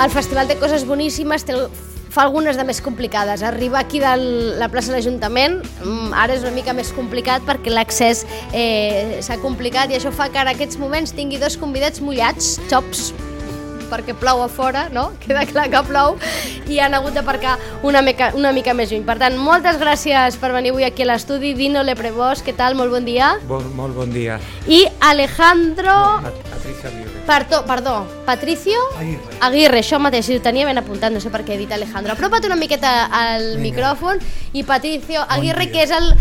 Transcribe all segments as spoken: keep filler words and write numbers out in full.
el festival té coses boníssimes, té, fa algunes de més complicades. Arribar aquí de la plaça de l'Ajuntament ara és una mica més complicat perquè l'accés eh, s'ha complicat i això fa que en aquests moments tingui dos convidats mullats, xops, perquè plou a fora, no? Queda clar que plou i han hagut d'aparcar una mica, una mica més lluny. Per tant, moltes gràcies per venir avui aquí a l'estudi. Dino Leprevós, què tal? Molt bon dia. Bon, molt bon dia. I Alejandro... No, Patricia Aguirre. Perdó, perdó, Patricio Aguirre. Aguirre, això mateix, si ho tenia ben apuntat, no sé per què he dit Alejandro. Apropa't una miqueta al Vinga. Micròfon i Patricio Aguirre, dia. que és el...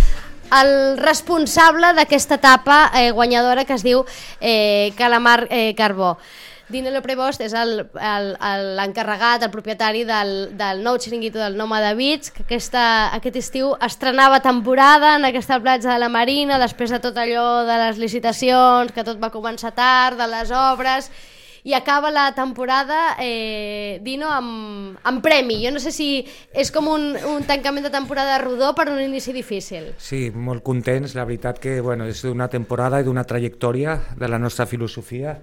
el responsable d'aquesta etapa eh, guanyadora que es diu eh, Calamar eh, Carbó. Dino Leprevós és l'encarregat, el, el, el propietari del, del nou xiringuito del Nòmada Beach, que aquesta, aquest estiu estrenava temporada en aquesta platja de la Marina, després de tot allò de les licitacions, que tot va començar tard, de les obres, i acaba la temporada, eh, Dino, amb, amb premi. Jo no sé si és com un, un tancament de temporada rodó per un inici difícil. Sí, molt contents, la veritat que bueno, és d'una temporada i d'una trajectòria de la nostra filosofia,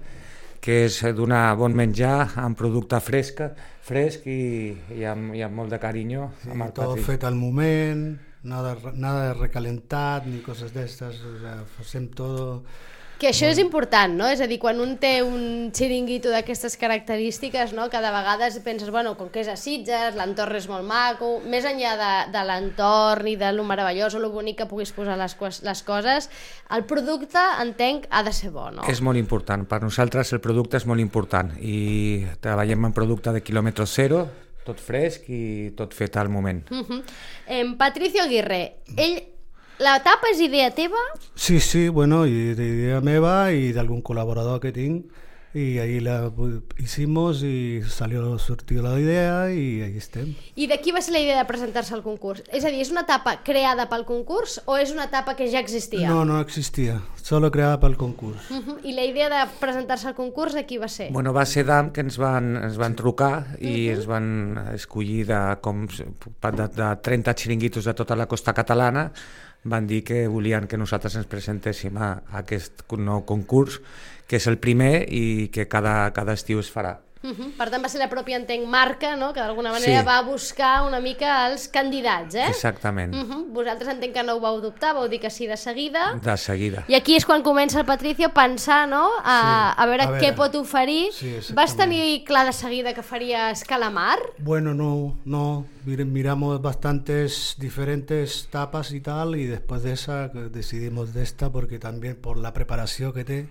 que és donar bon menjar amb producte fresc, fresc i, i, amb, i amb molt de carinyo. Sí, tot fet al moment, nada, nada de recalentat ni coses d'estes, o sea, fem tot... Que això és important, no? És a dir, quan un té un xiringuito d'aquestes característiques, no? Cada vegada penses, bueno, com que és a Sitges, l'entorn és molt maco, més enllà de, de l'entorn i de lo meravellós o lo bonic que puguis posar les, les coses, el producte, entenc, ha de ser bo, no? És molt important, per nosaltres el producte és molt important i treballem en producte de quilòmetre zero, tot fresc i tot fet al moment. Uh-huh. eh, Patricio Aguirre, ell... La tapa és idea teva? Sí, sí, bueno, i d'idea meva i d'algun col·laborador que tinc, y ahí la hicimos y salió, sortió la idea i ahí estem. I de qui va ser la idea de presentar-se al concurs? És a dir, és una etapa creada pel concurs o és una etapa que ja existia? No, no existia, solo creada pel concurs. Uh -huh. I la idea de presentar-se al concurs de qui va ser? Bueno, va ser d'A M que ens van, ens van trucar i uh -huh. ens van escollir de, com, de, de trenta xiringuitos de tota la costa catalana. Van dir que volien que nosaltres ens presentéssim a, a aquest nou concurs, que és el primer i que cada, cada estiu es farà. Uh -huh. Per tant, va ser la pròpia, entenc, marca, no? Que d'alguna manera sí. va buscar una mica els candidats, eh? Exactament. Uh -huh. Vosaltres entenc que no ho vau dubtar, vau dir que sí de seguida. De seguida. I aquí és quan comença el Patricio a pensar, no? A, sí. a, veure, a veure què pot oferir. Sí, vas tenir clar de seguida que faries calamar? Bueno, no, no. Miramos bastantes diferentes tapas y tal, y después de esa decidimos de esta porque también por la preparació que té.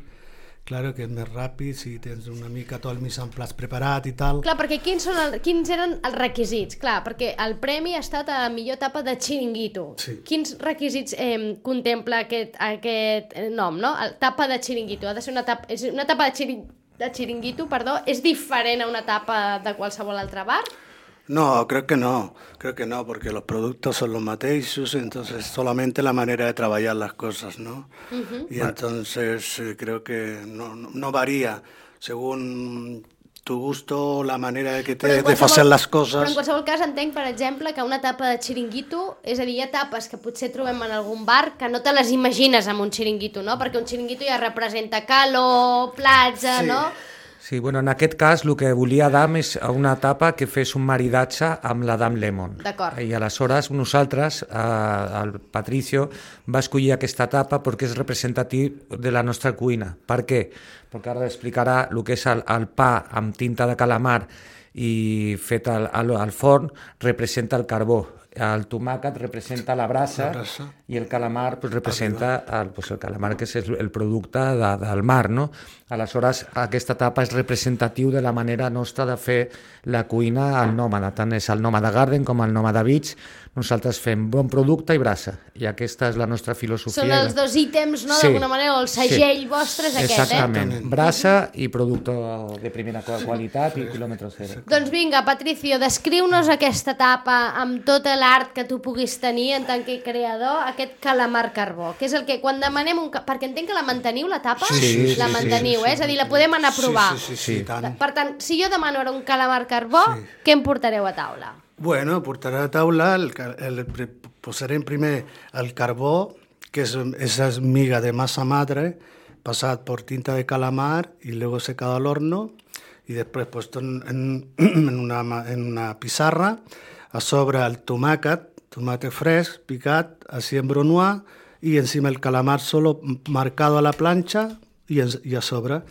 Claro que és més ràpid si tens una mica tot el mise en place preparat i tal. Clar, perquè quins, són el, quins eren els requisits? Clar, perquè el premi ha estat a la millor etapa de xiringuito. Sí. Quins requisits eh, contempla aquest, aquest nom, no? Etapa de xiringuito. Ha de ser una etapa, és una etapa de, xiring, de xiringuito, perdó, és diferent a una etapa de qualsevol altre bar? No, creo que no, creo que no, porque los productos son los mateixos, entonces solamente la manera de trabajar las cosas, ¿no? Uh-huh. Y entonces eh, creo que no, no, no varía según tu gusto, la manera de que te, de fer les coses. Però en qualsevol cas entenc, per exemple, que una tapa de xiringuito, és a dir, hi ha tapes que potser trobem en algun bar que no te les imagines amb un xiringuito, no? Perquè un xiringuito ja representa calor, platja, sí. no? Sí, bueno, en aquest cas el que volia d'A M és una etapa que fes un maridatge amb la d'A M Lemon. D'acord. I aleshores nosaltres, eh, el Patricio, va escollir aquesta etapa perquè és representatiu de la nostra cuina. Per què? Perquè ara explicarà el que és el, el pa amb tinta de calamar i fet al, al, al forn, representa el carbó. El tomàquet representa la brasa, la brasa. I el calamar pues, representa el, pues, el calamar, que és el, el producte de, del mar, no? Aleshores, aquesta etapa és representatiu de la manera nostra de fer la cuina al Nòmada. Tant és el Nòmada Garden com el Nòmada Beach. Nosaltres fem bon producte i brasa. I aquesta és la nostra filosofia. Són els dos ítems, no? Sí, d'alguna manera, o el segell sí. vostre és aquest, Exactament. eh? Brasa i producte de primera qualitat i quilòmetre zero. Doncs vinga, Patricio, descriu-nos aquesta etapa amb tota l'art que tu puguis tenir en tant que creador, aquest calamar carbó, que és el que quan demanem un... Perquè entenc que la manteniu, la tapa? Sí, sí, la sí, manteniu, sí, eh? És a dir, la podem anar a provar. Sí, sí, sí, sí, tant. Per tant, si jo demano ara un calamar carbó, sí. què em portareu a taula? Bueno, portaré a taula, el, el, el, posarem primer el carbó, que és esa miga de masa madre, passat per tinta de calamar y luego secado al horno, y después puesto en, en, en, una, en una pizarra, a sobre el tomàquet, tomate fresc, picat, así en brunoise, y encima el calamar solo marcado a la plancha y, en, y a sobre.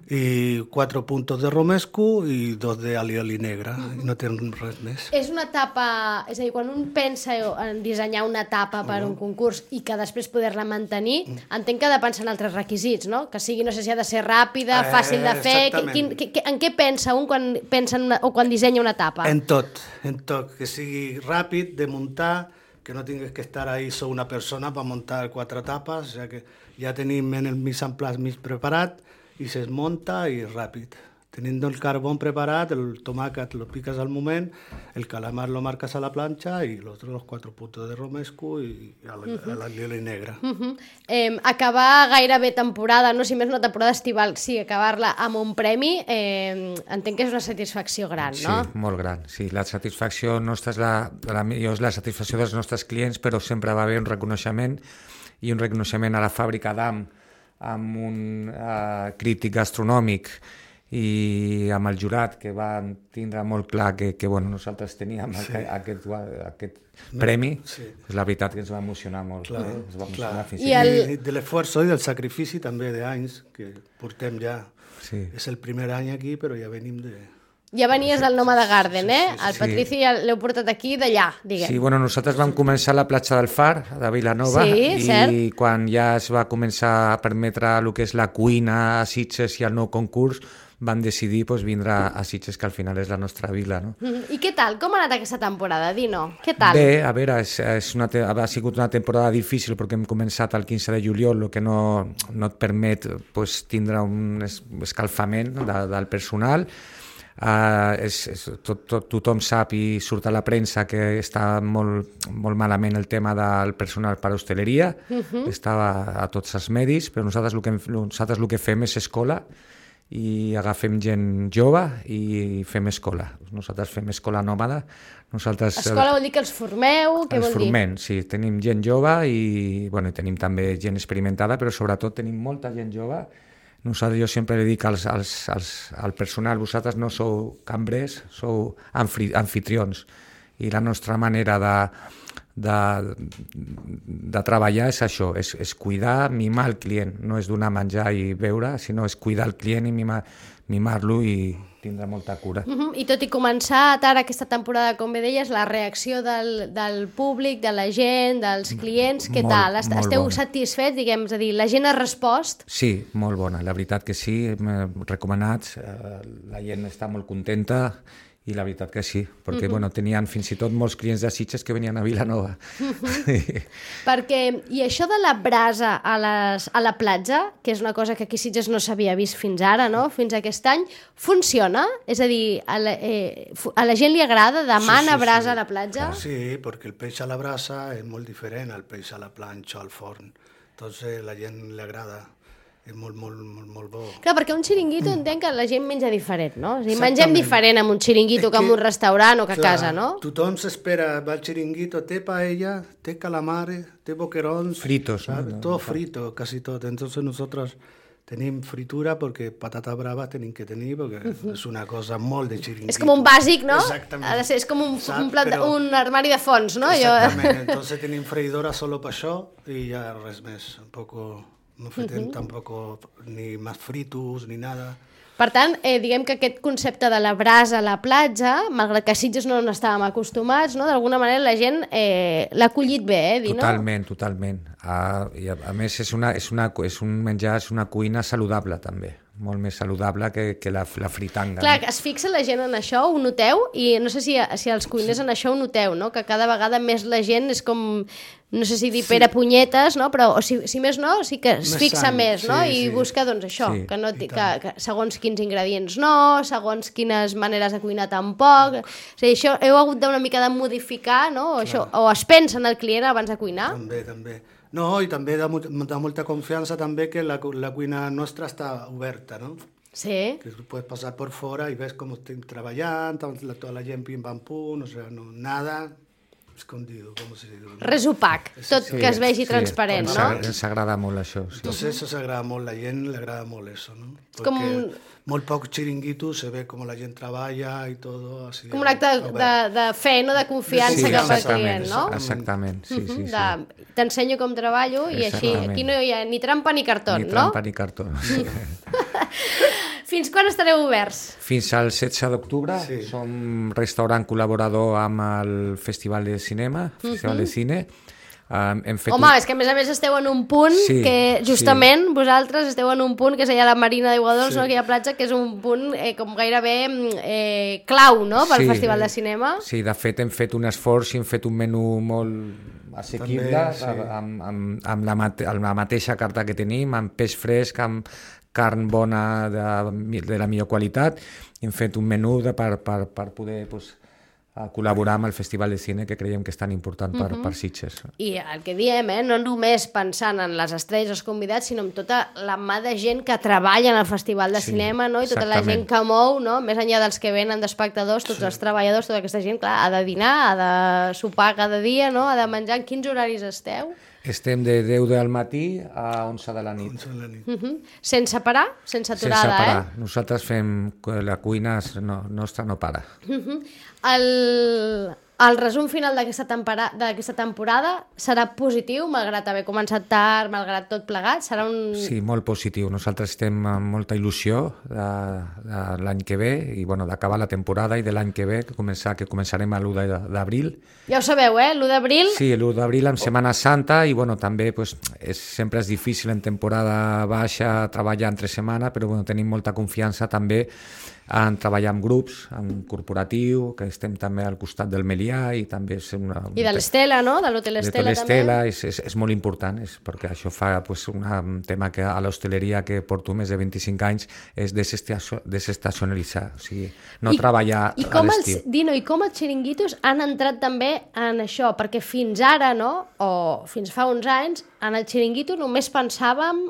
I quatre puntos de romesco i dos de alioli negre, mm-hmm. i no tenen res més. És una tapa, és a dir, quan un pensa en dissenyar una tapa per un concurs i que després poder-la mantenir, mm. entenc que ha de pensar en altres requisits, no? Que sigui, no sé si ha de ser ràpida, eh, fàcil de fer... Quin, que, en què pensa un quan, pensa en una, o quan dissenya una tapa? En tot, en tot. Que sigui ràpid de muntar, que no tingues que estar ahí solo una persona per muntar quatre tapes, o sea que ja tenim en el mise en place mig preparat, y se desmonta y rápido. Teniendo el carbón preparado, el tomàquet lo picas al moment, el calamar lo marcas a la plancha y los otros los cuatro puntos de romesco y a la, uh-huh. a la lioli negra. Uh-huh. eh, acabar gairebé temporada, no si més una temporada estival, sí, acabar-la amb un premi, eh, entenc que és una satisfacció gran, no? Sí, molt gran. Sí, la satisfacció nostra és la, la millor és la satisfacció dels nostres clients, però sempre va haver un reconeixement i un reconeixement a la fàbrica d'A M amb un uh, crític gastronòmic i amb el jurat, que van tindre molt clar que, que bueno, nosaltres teníem sí. aquest, aquest premi, sí. Pues la veritat que ens va emocionar molt. Clar, eh? Ens va emocionar clar. fins I, el... I de l'esforç i del sacrifici també d'anys que portem ja. Sí. És el primer any aquí, però ja venim de... Ja venies del Nòmada Garden, eh? El Patrici ja l'heu portat aquí d'allà, diguem. Sí, bueno, nosaltres vam començar a la platja del Far, de Vilanova, sí, i cert. quan ja es va començar a permetre el que és la cuina a Sitges i el nou concurs, van decidir pues, vindre a Sitges, que al final és la nostra vila. No? Mm, I què tal? Com ha anat aquesta temporada, Dino? Què tal? Bé, a veure, és, és una te- ha sigut una temporada difícil perquè hem començat el quinze de juliol, el que no, no et permet pues, tindre un es- escalfament no? de, del personal. Uh, és, és, tot, tot, tothom sap i surt a la premsa que està molt, molt malament el tema del personal per a hostaleria, uh-huh. Estava a tots els medis, però nosaltres el que, nosaltres el que fem és escola i agafem gent jove i fem escola. Nosaltres fem escola nòmada. Nosaltres, escola vol dir que els formeu? Què els vol formem, dir? Sí, tenim gent jove i bueno, tenim també gent experimentada, però sobretot tenim molta gent jove. Nosaltres, jo sempre li dic als, als, als, al personal, vosaltres no sou cambrers, sou anfri, anfitrions. I la nostra manera de, de, de treballar és això, és, és cuidar, mimar el client. No és donar menjar i beure, sinó és cuidar el client i mimar, mimar-lo i tindre molta cura. Uh-huh. I tot i començar ara aquesta temporada, com bé deies, la reacció del, del públic, de la gent, dels clients, què molt, tal? Est- Esteu bona. Satisfets, diguem, és a dir, la gent ha respost? Sí, molt bona, la veritat que sí, recomanats, eh, la gent està molt contenta i la veritat que sí, perquè uh-huh. bueno, tenien fins i tot molts clients de Sitges que venien a Vilanova. Uh-huh. Perquè, i això de la brasa a, les, a la platja, que és una cosa que aquí a Sitges no s'havia vist fins ara, no? Fins aquest any, funciona? És a dir, a la, eh, a la gent li agrada? Demana sí, sí, brasa sí. a la platja? Sí, perquè el peix a la brasa és molt diferent al peix a la planxa o al forn. Entonces la gent li agrada. És molt, molt, molt, molt bo. Clar, perquè un xiringuito entenc que la gent menja diferent, no? És a dir, mengem diferent amb un xiringuito que, que en un restaurant o que clar, a casa, no? Tothom s'espera, va al xiringuito, té paella, té calamares, té boquerons... Fritos, ¿no? no todo frito, casi todo. Entonces nosotros tenim fritura perquè patata brava tenim que tenir, perquè uh-huh. és una cosa molt de xiringuito. És com un bàsic, no? Exactament. Ha de ser, és com un, Saps? un, plat, Però... un armari de fons, no? Exactament. Jo... Entonces tenim freïdora solo per això i ja res més. Un poco... No fem uh-huh. tampoc ni más fritos ni nada. Per tant, eh, diguem que aquest concepte de la brasa a la platja, malgrat que a Sitges no n'estàvem acostumats, no? D'alguna manera la gent eh, l'ha acollit bé, eh, Dino? Totalment, totalment. Uh, i a, a més, és, una, és, una, és un menjar, és una cuina saludable, també. Molt més saludable que, que la, la fritanga. Clar, no? es fixa la gent en això, ho noteu? I no sé si, si els cuiners sí. en això ho noteu, no? Que cada vegada més la gent és com... No sé si dir sí. pere punyetes, no? Però o si, si més no, sí que es més fixa sant. més, no? Sí, I sí. busca, doncs, això, sí, que, no, que, que segons quins ingredients no, segons quines maneres de cuinar tampoc... O sigui, això heu hagut d'una mica de modificar, no? O, això, o es pensa en el client abans de cuinar? També, també. No, i també da, da molta confiança també que la, la cuina nostra està oberta, no? Sí. Que puedes pasar por fora i ves com estem treballant, tota la gent pim pam pum, o sea, no, nada... escondido, ¿cómo se dice? Res opac, tot Sí, que es vegi sí, transparent, ens no? agra- Ens agrada molt això. Sí. Entonces eso se agrada molt, la gent le agrada molt eso, ¿no? Porque com un- molt poc chiringuito se ve como la gent treballa y todo así. Com un acte de, de, de fe, no? De confiança Sí, cap al exactament, client, no? Exactament, sí, sí, sí. De, t'ensenyo com treballo i així, Exactament. aquí no hi ha ni trampa ni cartó, Ni no? trampa ni cartó. Sí. Fins quan estareu oberts? Fins al setze d'octubre Sí. som restaurant col·laborador amb el Festival de Cinema, Festival de Cine. Um, hem fet Home, un... és que a més a més esteu en un punt Sí, que justament vosaltres esteu en un punt que és allà a la Marina d'Iguadols, Sí. no? Aquella platja que és un punt eh, com gairebé eh, clau, no? Pel Sí. Festival de Cinema. Sí, de fet hem fet un esforç i hem fet un menú molt assequible, També, sí. amb, amb, amb, la mate amb la mateixa carta que tenim, amb peix fresc, amb carn bona de, de la millor qualitat. Hem fet un menú de, per, per, per poder pues, a col·laborar amb el Festival de Cine, que creiem que és tan important per, uh -huh. per Sitges. I el que diem, eh, no només pensant en les estrelles, els convidats, sinó en tota la mà de gent que treballa en el Festival de Sí, Cinema, no? I tota la exactament. gent que mou, no? Més enllà dels que venen d'espectadors, tots sí. els treballadors, tota aquesta gent, clar, ha de dinar, ha de sopar cada dia, no? Ha de menjar. En quins horaris esteu? Estem de deu del matí a onze de la nit. Once de la nit. Uh -huh. Sense parar? Sense Sense aturada, parar. Nosaltres fem... La cuina no, nostra no para. eh? Uh -huh. El... El resum final d'aquesta tempora- d'aquesta temporada serà positiu, malgrat haver començat tard, malgrat tot plegat? Serà un... Sí, molt positiu. Nosaltres estem amb molta il·lusió de, de l'any que ve i bueno, d'acabar la temporada i de l'any que ve, que, començar, que començarem a l'u d'abril. Ja ho sabeu, eh? l'u d'abril... Sí, l'u d'abril amb Setmana Santa i bueno, també pues, és, sempre és difícil en temporada baixa treballar entre setmana, però bueno, tenim molta confiança també en treballar amb grups, en corporatiu, que estem també al costat del Melià i també és una... I de l'Estela, no? De l'Hotel de Estela, l'Estela també. és, és, és molt important, és perquè això fa pues, una, un tema que a l'hostaleria que porto més de vint-i-cinc anys és desestacio- desestacionalitzar, o sigui, no I, treballar i a com l'estiu. els, Dino, i com els xiringuitos han entrat també en això? Perquè fins ara, no? O fins fa uns anys, en el xiringuito només pensàvem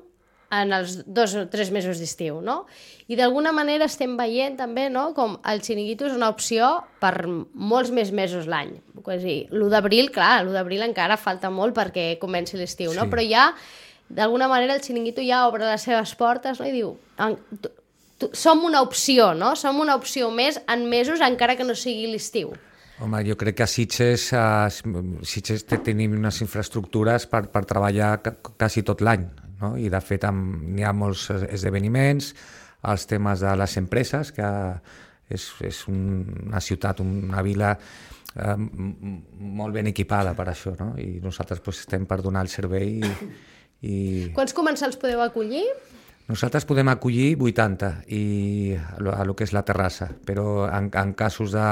en els dos o tres mesos d'estiu, no? I d'alguna manera estem veient també, no?, com el xiringuito és una opció per molts més mesos l'any. És a dir, l'u d'abril, clar, l'u d'abril encara falta molt perquè comenci l'estiu, no? Sí. Però ja, d'alguna manera, el xiringuito ja obre les seves portes, no?, i diu... En, tu, tu, som una opció, no? Som una opció més en mesos, encara que no sigui l'estiu. Home, jo crec que a Sitges, a Sitges tenim unes infraestructures per, per treballar ca, quasi tot l'any, no? I de fet n'hi ha molts esdeveniments, els temes de les empreses, que és, és una ciutat, una vila eh, molt ben equipada per això, no? I nosaltres pues, estem per donar el servei i, i... Quants comensals podeu acollir? Nosaltres podem acollir vuitanta i a lo, a lo que és la terrassa, però en, en casos de,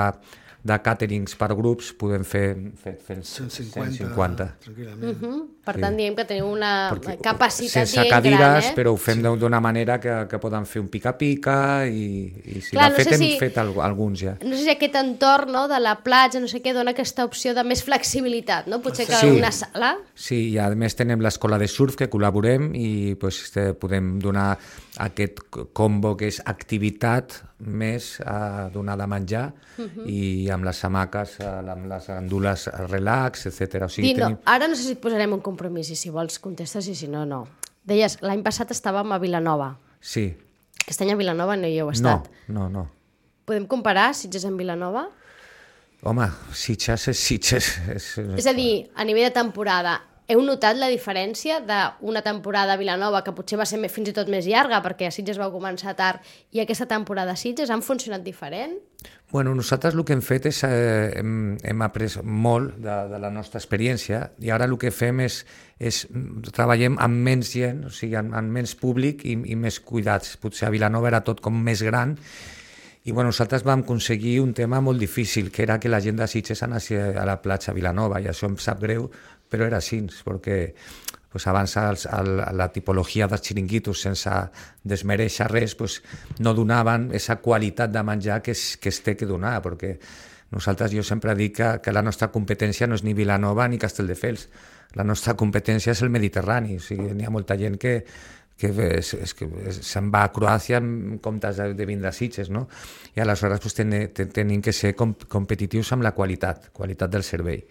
de càterings per grups podem fer, fer, fer cent cent cinquanta, cinquanta. tranquil·lament. Uh -huh. Per Sí. tant, diem que teniu una Perquè capacitat sense dient cadires, gran, eh? però ho fem sí. d'una manera que, que poden fer un pica-pica i, i si Clar, de no fet sé hem si- fet al, alguns ja. No sé si aquest entorn, no, de la platja, no sé què, dona aquesta opció de més flexibilitat, no? Potser que Sí. una sala... Sí, i a més tenem l'escola de surf que col·laborem i pues, este, podem donar aquest combo que és activitat més a donar de menjar uh -huh. i amb les hamaques, amb les gandules relax, etcètera. O sigui, Dino, tenim... ara no sé si et posarem un compromís i si vols contestes i si no, no. Deies, l'any passat estàvem a Vilanova. Sí. Aquest any a Vilanova no hi heu No, estat. no, no. Podem comparar Sitges amb Vilanova? Home, Sitges és Sitges. És, És a dir, a nivell de temporada, heu notat la diferència d'una temporada a Vilanova, que potser va ser més- fins i tot més llarga, perquè a Sitges vau començar tard, i aquesta temporada a Sitges han funcionat diferent? Bueno, nosaltres el que hem fet és, eh, hem, hem après molt de, de la nostra experiència i ara el que fem és, és treballem amb menys gent, o sigui, amb, amb menys públic i, i més cuidats. Potser a Vilanova era tot com més gran i bueno, nosaltres vam aconseguir un tema molt difícil, que era que la gent de Sitges anés a la platja a Vilanova i això em sap greu, però era així, perquè pues abans els, el, la tipologia dels xiringuitos, sense desmereixer res, pues, no donaven aquesta qualitat de menjar que es, que es té que donar, perquè nosaltres, jo sempre dic que, que la nostra competència no és ni Vilanova ni Castelldefels, la nostra competència és el Mediterrani, o sigui, n'hi ha molta gent que, que, és, és, que se'n va a Croàcia en comptes de, de vindre a Sitges, no? I aleshores pues, ten, ten, tenim que ser com, competitius amb la qualitat, qualitat del servei.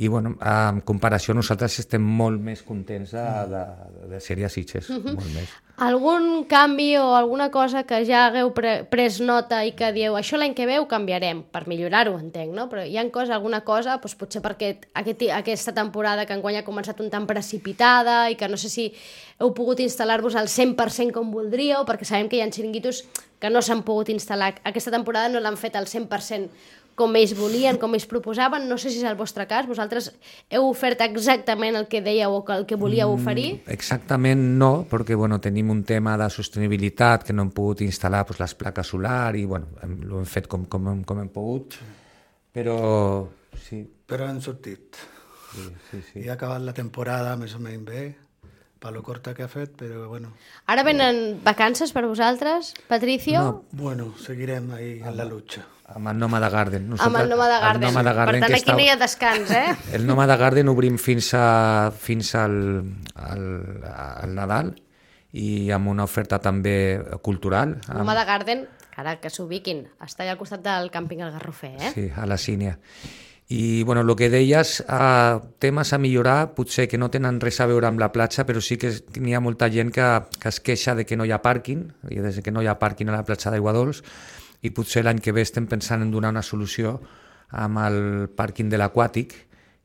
i bueno, en comparació nosaltres estem molt més contents de, de, de ser-hi a Sitges, uh-huh. molt més. Algun canvi o alguna cosa que ja hagueu pre pres nota i que dieu això l'any que ve ho canviarem, per millorar-ho, entenc, no? Però hi ha cosa, alguna cosa, doncs potser perquè aquest, aquesta temporada que enguany ha començat un tant precipitada i que no sé si heu pogut instal·lar-vos al cent per cent com voldríeu, perquè sabem que hi ha xiringuitos que no s'han pogut instal·lar. Aquesta temporada no l'han fet al cent per cent com ells volien, com ells proposaven. No sé si és el vostre cas. Vosaltres heu ofert exactament el que dèieu o el que volíeu oferir? Mm, exactament no, perquè bueno, tenim un tema de sostenibilitat que no hem pogut instal·lar pues, les plaques solar i bueno, hem, ho hem fet com, com, com hem pogut, però sí. Però han sortit. Sí, sí, sí. I ha acabat la temporada més o menys bé, per lo corta que ha fet, però bueno. Ara venen vacances per vosaltres, Patricio? No. Bueno, seguirem ahí en la lucha. Amb el Nòmada Garden. Nosaltres, amb el Nòmada Garden. el Nòmada Garden. Per tant, aquí està... no hi ha descans, eh? El Nòmada Garden obrim fins, a, fins al, al, al Nadal i amb una oferta també cultural. El Nòmada Garden, ara que s'ubiquin, està allà al costat del càmping El Garrofer, eh? Sí, a la Sínia. I bueno, el que deies, eh, temes a millorar, potser que no tenen res a veure amb la platja, però sí que n'hi ha molta gent que, que es queixa de que no hi ha pàrquing, i des que no hi ha pàrquing a la platja d'Aigua Dols, i potser l'any que ve estem pensant en donar una solució amb el pàrquing de l'Aquàtic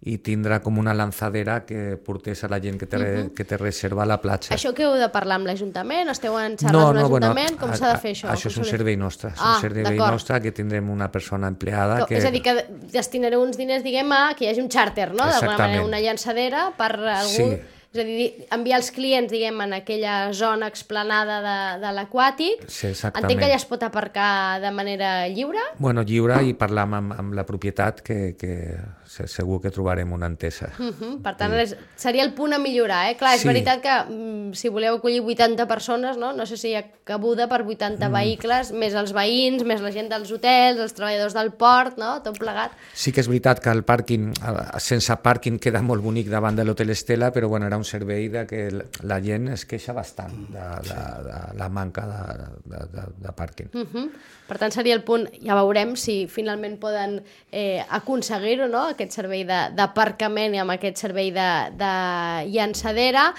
i tindrà com una lanzadera que portés a la gent que té, uh-huh. que té reserva a la platja. Això que heu de parlar amb l'Ajuntament? Esteu en xarres no, amb no, l'Ajuntament? Bueno, Com s'ha de fer això? Això és un servei nostre, és ah, un servei nostre que tindrem una persona empleada. Que, que... És a dir, que destinareu uns diners, diguem, a que hi hagi un xàrter, no? D'alguna manera, una llançadera per algú... Sí. És a dir, enviar els clients, diguem, en aquella zona explanada de, de l'Aquàtic. Sí, exactament. Entenc que allà es pot aparcar de manera lliure? Bueno, lliure i parlar amb, amb la propietat, que, que segur que trobarem una entesa. Uh -huh. Per tant, sí. seria el punt a millorar, eh? Clar, és sí. veritat que mm, si voleu acollir vuitanta persones, no? No sé si hi ha cabuda per vuitanta mm. vehicles, més els veïns, més la gent dels hotels, els treballadors del port, no? Tot plegat. Sí que és veritat que el pàrquing, sense pàrquing, queda molt bonic davant de l'Hotel Estela, però bueno, era un servei de que la gent es queixa bastant de, de, de la manca de, de, de, de pàrquing. Uh -huh. Per tant, seria el punt, ja veurem si finalment poden eh, aconseguir-ho, no?, aquest servei d'aparcament i amb aquest servei de, de llançadera.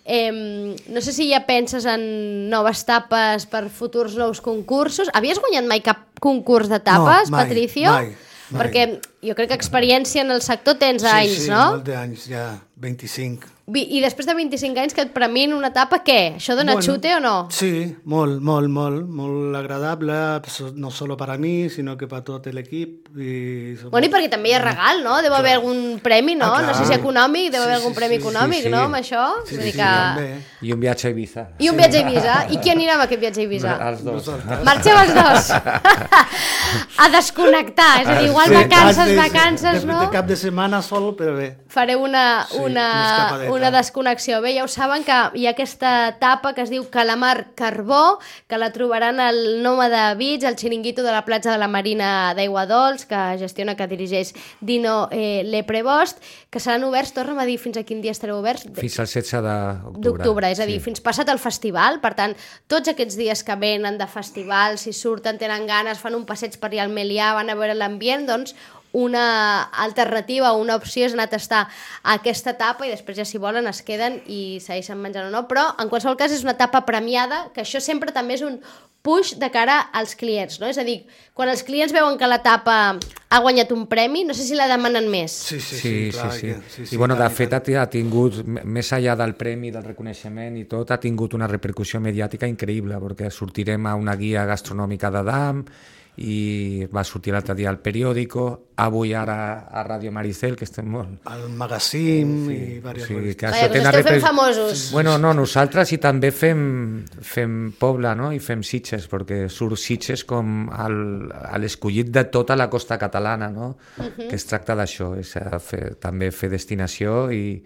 Eh, no sé si ja penses en noves tapes per futurs nous concursos. Havies guanyat mai cap concurs de tapes, no, mai, Patricio? Mai, mai. Perquè jo crec que experiència en el sector tens sí, anys, sí, no? Sí, molts d'anys, ja, vint-i-cinc. I després de vint-i-cinc anys que et premin una etapa, què? Això dona bueno, xute o no? Sí, molt, molt, molt, molt agradable, no solo para mí, sinó que per tot l'equip. I... Bueno, i perquè també hi ha regal, no? Deu haver algun premi, no? Ah, no sé si econòmic, deu haver sí, algun sí, premi sí, econòmic, sí, sí. no? Amb això? Sí, sí, sí, que... I un viatge a Ibiza. I un viatge a Ibiza. I qui anirà amb aquest viatge a Ibiza? Els dos. Marxeu els dos. A desconnectar, és a dir, igual sí. vacances, de, vacances, de, no? De cap de setmana sol, però bé. Fareu una, sí, una, una desconnexió. Bé, ja ho saben que hi ha aquesta etapa que es diu Calamar Carbó, que la trobaran al Nòmada Beach, al xiringuito de la platja de la Marina d'Aigua Dols, que gestiona, que dirigeix Dino eh, Leprebost, que seran oberts, torna'm a dir, fins a quin dia estareu oberts? Fins al setze d'octubre. D'octubre, és a dir, sí. fins passat el festival. Per tant, tots aquests dies que venen de festival, si surten, tenen ganes, fan un passeig per allà al Melià, van a veure l'ambient, doncs una alternativa o una opció és anar a tastar aquesta etapa i després ja si volen es queden i segueixen menjant o no, però en qualsevol cas és una etapa premiada, que això sempre també és un push de cara als clients, no? És a dir, quan els clients veuen que l'etapa ha guanyat un premi, no sé si la demanen més. Sí, sí, sí. sí, clar, sí, sí. Que, sí, sí I bueno, clar, de fet ha tingut, més enllà del premi, del reconeixement i tot, ha tingut una repercussió mediàtica increïble, perquè sortirem a una guia gastronòmica d'Adam, i va sortir l'altre dia al periòdico, avui ara a Ràdio Maricel, que estem molt... Al magazín sí, i diverses sí, coses. Que Vaja, que us esteu fent famosos. Bueno, no, nosaltres i també fem, fem poble, no?, i fem Sitges, perquè surt Sitges com el, l'escollit de tota la costa catalana, no?, uh-huh. que es tracta d'això, és fer, també fer destinació i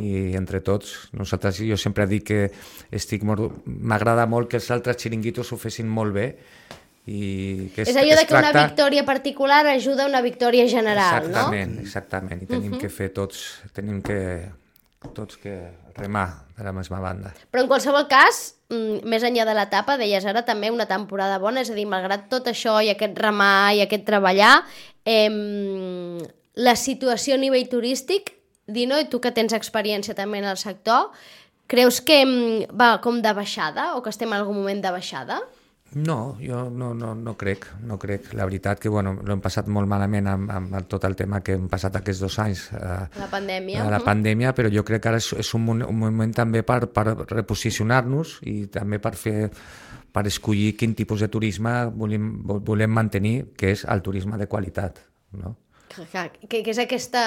i entre tots, nosaltres, jo sempre dic que estic molt, m'agrada molt que els altres xiringuitos ho fessin molt bé. I que es, és allò de que tracta... una victòria particular ajuda a una victòria general, exactament, no? Exactament, i tenim uh-huh. que fer tots, tenim que tots que remar de la mateixa banda. Però en qualsevol cas, més enllà de l'etapa, deies ara també una temporada bona, és a dir, malgrat tot això i aquest remar i aquest treballar, eh, la situació a nivell turístic, Dino, i tu que tens experiència també en el sector, creus que va com de baixada o que estem en algun moment de baixada? No, jo no, no, no crec, no crec. La veritat que bueno, l'hem passat molt malament amb, amb tot el tema que hem passat aquests dos anys. Eh, la pandèmia. La pandèmia, però jo crec que ara és, és un, un moment també per, per reposicionar-nos i també per fer per escollir quin tipus de turisme volem, volem mantenir, que és el turisme de qualitat, no? Que, que és aquesta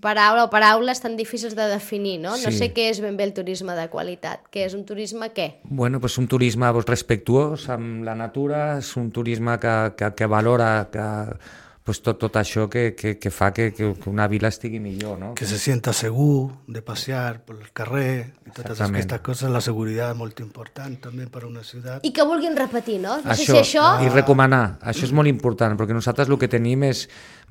paraula o paraules tan difícils de definir, no? No sí. sé què és ben bé el turisme de qualitat. Què és un turisme què? Bueno, pues un turisme pues, respectuós amb la natura, és un turisme que, que, que valora que, pues, tot, tot això que, que, que fa que, que una vila estigui millor, no? Que se sienta segur de passear per el carrer i totes aquestes coses. La seguretat és molt important també per a una ciutat. I que vulguin repetir, no? No això, sé si això... I recomanar, això és molt important, perquè nosaltres el que tenim és,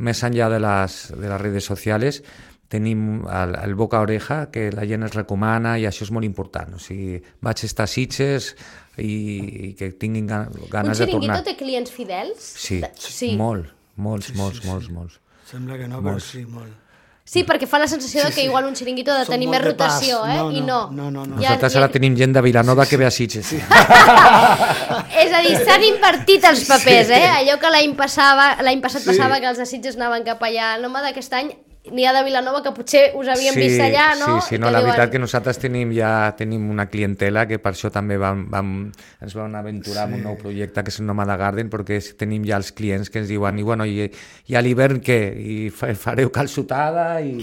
més enllà de les, de les redes socials, tenim el, el boca a oreja, que la gent es recomana i això és molt important. O sigui, vaig estar a Sitges i, i que tinguin ganes de tornar. Un xiringuito té clients fidels? Sí, sí. molt. Molts, sí, molts, sí, molts, sí. molts. Sembla que no, però sí, molt. Sí, perquè fa la sensació sí, sí. que igual un xiringuito ha de tenir més rotació, eh? No, no, I no. no, no, no. Nosaltres ja, ara ja... tenim gent de Vilanova sí, que ve a Sitges. Sí. És a dir, s'han invertit els papers, sí. eh? Allò que l'any passava, l'any passat sí. passava que els de Sitges anaven cap allà. El home d'aquest any n'hi ha de Vilanova que potser us havíem sí, vist allà, no? Sí, sí, no, la diuen... veritat que nosaltres tenim ja tenim una clientela que per això també vam, vam, ens vam aventurar sí. en un nou projecte que és el Nomada Garden, perquè tenim ja els clients que ens diuen i, bueno, i, i a l'hivern què? I fareu calçotada i,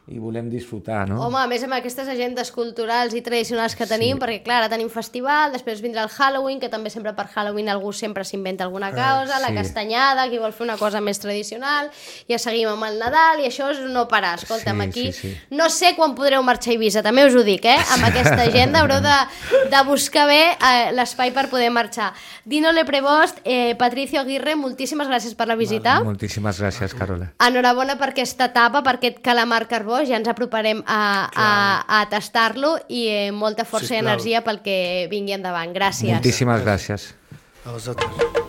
i volem disfrutar, no? Home, a més amb aquestes agendes culturals i tradicionals que tenim, sí. perquè clar, ara tenim festival, després vindrà el Halloween, que també sempre per Halloween algú sempre s'inventa alguna causa, sí. la castanyada, qui vol fer una cosa més tradicional, ja seguim amb el Nadal i això és no parar, escolta'm, sí, aquí sí, sí. no sé quan podreu marxar a Eivissa, també us ho dic, eh? Amb aquesta agenda haureu de, de buscar bé eh, l'espai per poder marxar. Dino Leprebost, eh, Patricio Aguirre, moltíssimes gràcies per la visita. Vale, moltíssimes gràcies, Carola. Enhorabona per aquesta etapa, per aquest calamar carbó, ja ens aproparem a, a, a tastar-lo i eh, molta força sí, i energia pel que vingui endavant. Gràcies. Moltíssimes gràcies. A vosaltres.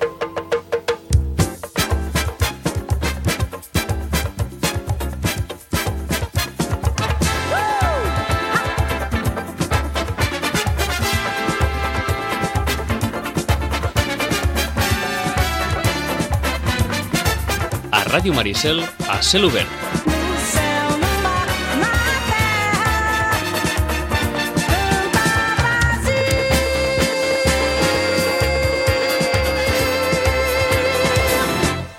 Ràdio Maricel a cel obert.